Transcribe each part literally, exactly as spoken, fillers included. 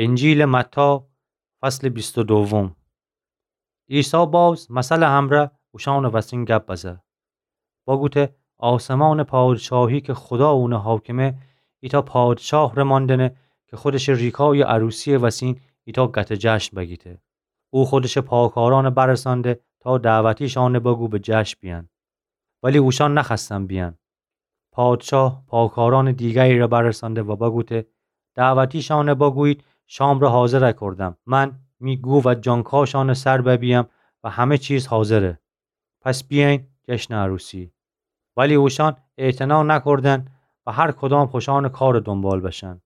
انجیلٚ متی، فصلٚ بیست و دوم. عیسی باز مثلٚ امرأ اوشانٚ وسین گب بزه. بگوته: آسمانٚ پادشاهی که خودا اونٚ حاکمه، ایتأ پادشاهٚ ماندنه که خودشٚ ریکایٚ عروسیٚ وسین ایتأ گته جشن بگیته. او خودشٚ پاکارأن برسانده تا دعوتیشأن بگو به جشن بیأن. ولی اوشأن نخوأستن بیأن. پادشاه پاکارأنٚ دیگری ره برسانده و بگوته: دعوتیشأن بگویید شام ره حاضر کردم. من می گو و جانکاشأنٚ سر ببیم و همه چیز حاضره. پس بیأیین جشنٚ عروسی. ولی اوشأن اعتنا نکردن و هر کدام خوشأنٚ کارٚ دنبال بشن.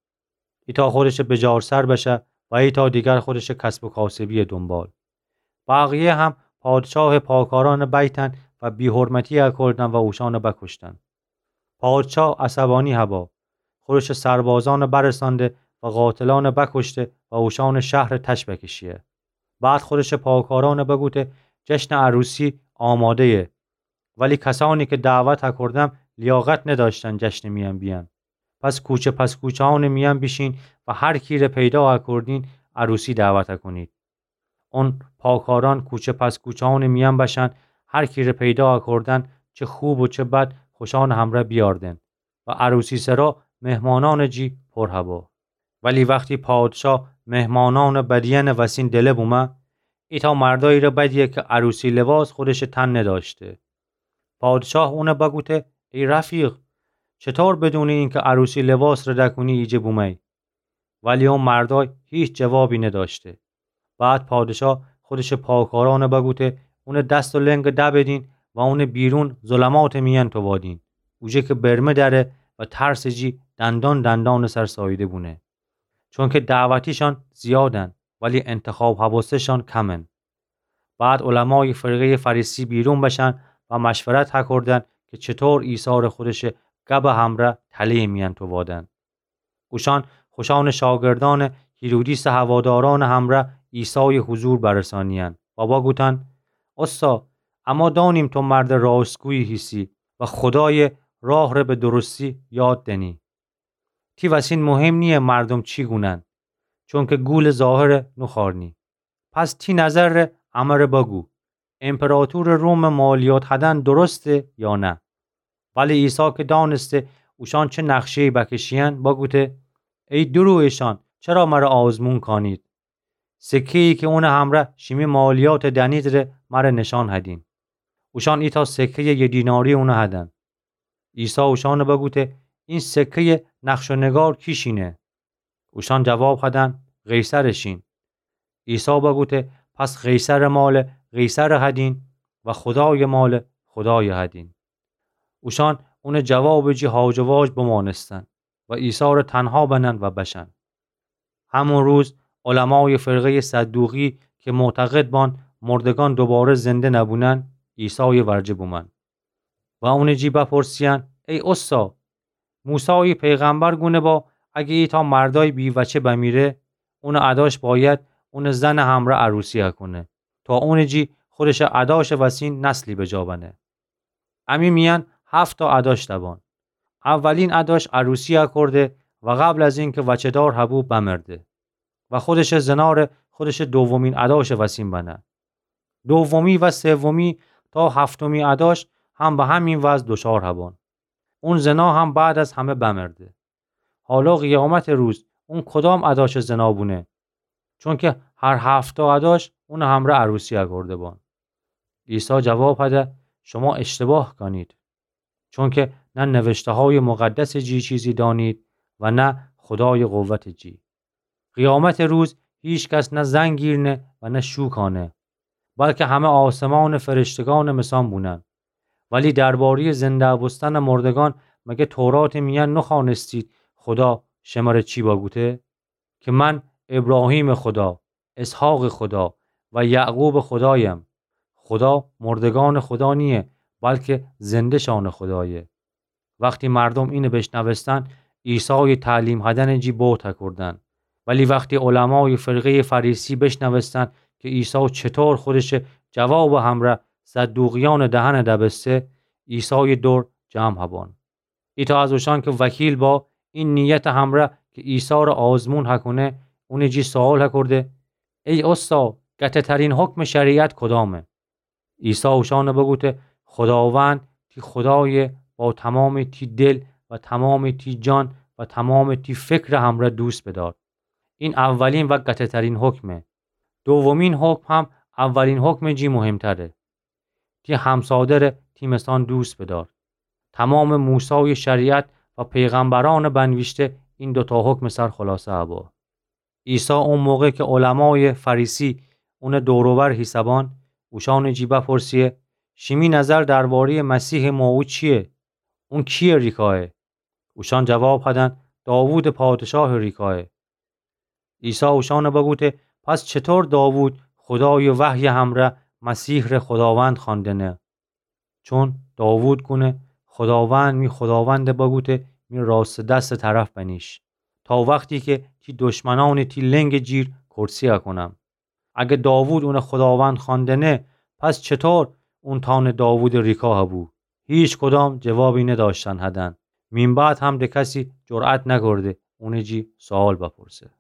ایتأ خودشٚ بجارسر بشه و ایتأ دیگر خودشٚ کسب و کاسبیٚ دنبال. بقیه هم پادشاهٚ پاکارأن بیتن و بی‌حرمتی کردن و اوشأن بکشتن. پادشاه عصبانی هبا، خودشٚ سربازأن برسانده و قاتلأن بکشته و اوشأنٚ شهر تش بکشیه. بعد خودشٚ پاکارأن بگوته: جشنٚ عروسی آماده‌یه، ولی کسأنی که دعوت کردم لیاقت نداشتن جشنٚ میأن بیأن. پس کوچه پس کوچه‌أنٚ میأن بیشین و هر کی ره پیدا کردین عروسی دعوت کنید. اون پاکارأن کوچه پس کوچه‌أنٚ میأن بشن، هر کی ره پیدا کردن، چه خوب و چه بد، خوشأنٚ امرأ بیاردن و عروسی سرا مهمانأنٚ جی پر هبا. ولی وختی پادشاه مهمانأنٚ بدیأنٚ وسین دله بومه، ایتأ مردایی ره بدیه که عروسی لباس خودشٚ تن نداشته. پادشاه اون بگوته: ای رفیق، چطور بدونی اینکه عروسی لباس ره دکونی ایجه بومه‌یی؟ ولی اون مردای هیچ جوابی نداشته. بعد پادشاه خودشٚ پاکارأن بگوته اونٚ دست و لنگ دبدین و اون بیرون ظلماتٚ میأن تووادین، اوجه که برمه دأره و ترسٚ جی دندان دندانٚ سر ساییده بونه. چونکه دعوتیشأن زیادن، ولی انتخاب هبسته‌شأن کمن. بعد علمایٚ فرقه‌یٚ فریسی بیرون بشن و مشورت هکردن که چطور عیسی ره خودشٚ گبٚ امرأ تله‌یٚ میأن تووادن. اوشأن خوشأنٚ شاگردأن هیرودیسٚ هوادارأنٚ امرأ عیسایٚ حضور برسانیأن و واگوتن: اوستا، اما دانیم تو مردٚ راستگویی هیسی و خودایٚ راه ره به درستی یاد دنی. تی وسین مهم نییه مردم چی گونن، چونکه گولٚ ظاهر نوخوأرنی. پس تی نظر ره امره بگو، امپراطورٚ روم مالیات هدن درسته یا نه؟ ولی عیسی که دانسته اوشأن چه نقشه‌یی بکشیأن، بگوته: ای درویشأن، چرا مره آزمون کانید؟ سکه‌یی که اونٚ امرأ شیمی مالیات دنید ره مره نشان هدین. اوشأن ایتأ سکه‌یٚ یه دیناری اون هدن. عیسی اوشأن بگوته: این سکه‌یٚ نقش و نگار کیشینه؟ اوشأن جواب هدن: قیصرٚ شین. عیسی بگوته: پس قیصرٚ مال قیصر هدین و خودایٚ مال خودای هدین. اوشأن اونٚ جوابٚ جی هاج و واج بمانستن و عیسی ره تنها بنن و بشن. همون روز علمایٚ فرقه‌یٚ صدوقی که معتقد بان مردگان دوباره زنده نبونن، عیسایٚ ورجه بومن و اونٚ جی بپرسیأن: ای اوستا، موسایٚ پیغمبر گونه با اگه ایتأ مردای بی‌وچه بمیره، اونٚ اداش باید اونٚ زنٚ امرأ عروسی هکونه تا اونٚ جی خودشٚ اداشٚ وسین نسلی به جا بنه. امی میأن هفت‌تا اداش دبان. اولین اداش عروسی هکرده و قبل از اینکه وچه‌دار هبو بمرده و خودشٚ زنا ره خودشٚ دومین اداشٚ وسین بنه. دومی و سومی تا هفتمی اداش هم به همین وضع دچار هبان. اون زنا هم بعد از همه بمرده. حالا قیامتٚ روز اون کدام اداشٚ زنا بونه؟ چونکه هر هفت‌تا اداش اونٚ امرأ عروسی هکرده بان. عیسی جواب هده: شما اشتباه کانید، چونکه نه نوشته‌هایٚ مقدسٚ جی چیزی دانید و نه خودایٚ قوتٚ جی. قیامتٚ روز هیچ کس نه زن گیر نه و نه شو کانه، بلکه همه آسمانٚ فرشتگانٚ مثان بونن. ولی درباره‌یٚ زنده بوستنٚ مردگان مگه توراتٚ میأن نخوأنستید خودا شمره چی بگوته؟ که من ابراهیمٚ خودا، اسحاقٚ خودا و یعقوبٚ خودایم. خودا مردگانٚ خودا نییه، بلکه زنده‌شانٚ خودایه. وختی مردم اینه بشنوستن، عیسایٚ تعلیم هدنٚ جی بهت هکردن. ولی وختی علمایٚ فرقه‌یٚ فریسی بشنوستن که عیسی چطور خودشٚ جوابٚ همرأ صدوقیأنٚ دهنٚ دبسته، عیسایٚ دور جمع هبان. ایتأ از اوشأن که وکیل با، این نیتٚ همرأ که عیسی ره آزمون هکونه، اونٚ جی سؤال هکرده: ای اوستا، گته‌ترین حکمٚ شریعت کدامه؟ عیسی اوشانٚ بگوته: خوداوند تی خودایَ با تمامٚ تی دل و تمامٚ تی جان و تمامٚ تی فکرٚ همرأ دوست بدار. این اولین و گته‌ترین حکمه. دومین حکم هم اولین حکمٚ جی مهمتره. تی همسادرَ تی مثان دوست بدار. تمامٚ موسایٚ شریعت و پیغمبرأنٚ بنویشته این دوتا حکمٚ سر خلاصه هبه. عیسی او موقع کی علمایٚ فریسی اونٚ دور و بر هیسه‌بان، اوشانٚ جی بپرسه: شیمی نظر درباره‌یٚ مسیحٚ موعود چییه؟ اون کییٚ ریکایه؟ اوشان جواب هدن: داوودٚ پادشاهٚ ریکایه. عیسی اوشانَ بگوته: پس چطور داوود خودایٚ وحیٚ همرأ مسیح ره خوداوند خوأندنه؟ چون داوود گونه: خوداوند می خوداوندَ بگوته: می راستٚ دستٚ طرف بنیش، تا وختی کی تی دشمنأنَ تی لنگٚ جیر کرسی‌یَ کونم. اگر داوود اونَ خوداوند خوأندنه، پس چطور اون تانٚ داوودٚ ریکا هبو؟ هیچکدام جوابی ندأشتن هدن. مین بعد هم دکسی جرأت نکرده اونٚ جی سؤال بپرسه.